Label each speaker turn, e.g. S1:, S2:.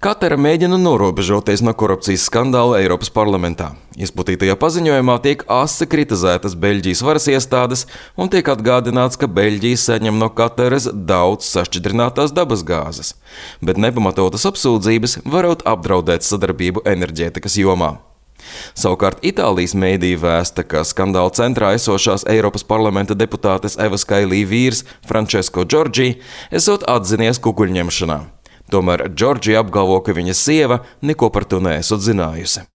S1: Katara mēģina norobežoties no korupcijas skandāla Eiropas parlamentā. Izplatītajā paziņojumā tiek asi kritizētas Beļģijas varas iestādes un tiek atgādināts, ka Beļģija saņem no Kataras daudz sašķidrinātās dabasgāzes, bet nepamatotas apsūdzības varot apdraudēt sadarbību enerģētikas jomā. Savukārt Itālijas mēdīja vēsta, ka skandāla centrā esošās Eiropas parlamenta deputātes Evas Kailī vīrs Francesco Giorgi esot atzinies kukuļņemšanā. Tomēr Giorgi apgalvo, ka viņa sieva neko par to neesot zinājusi.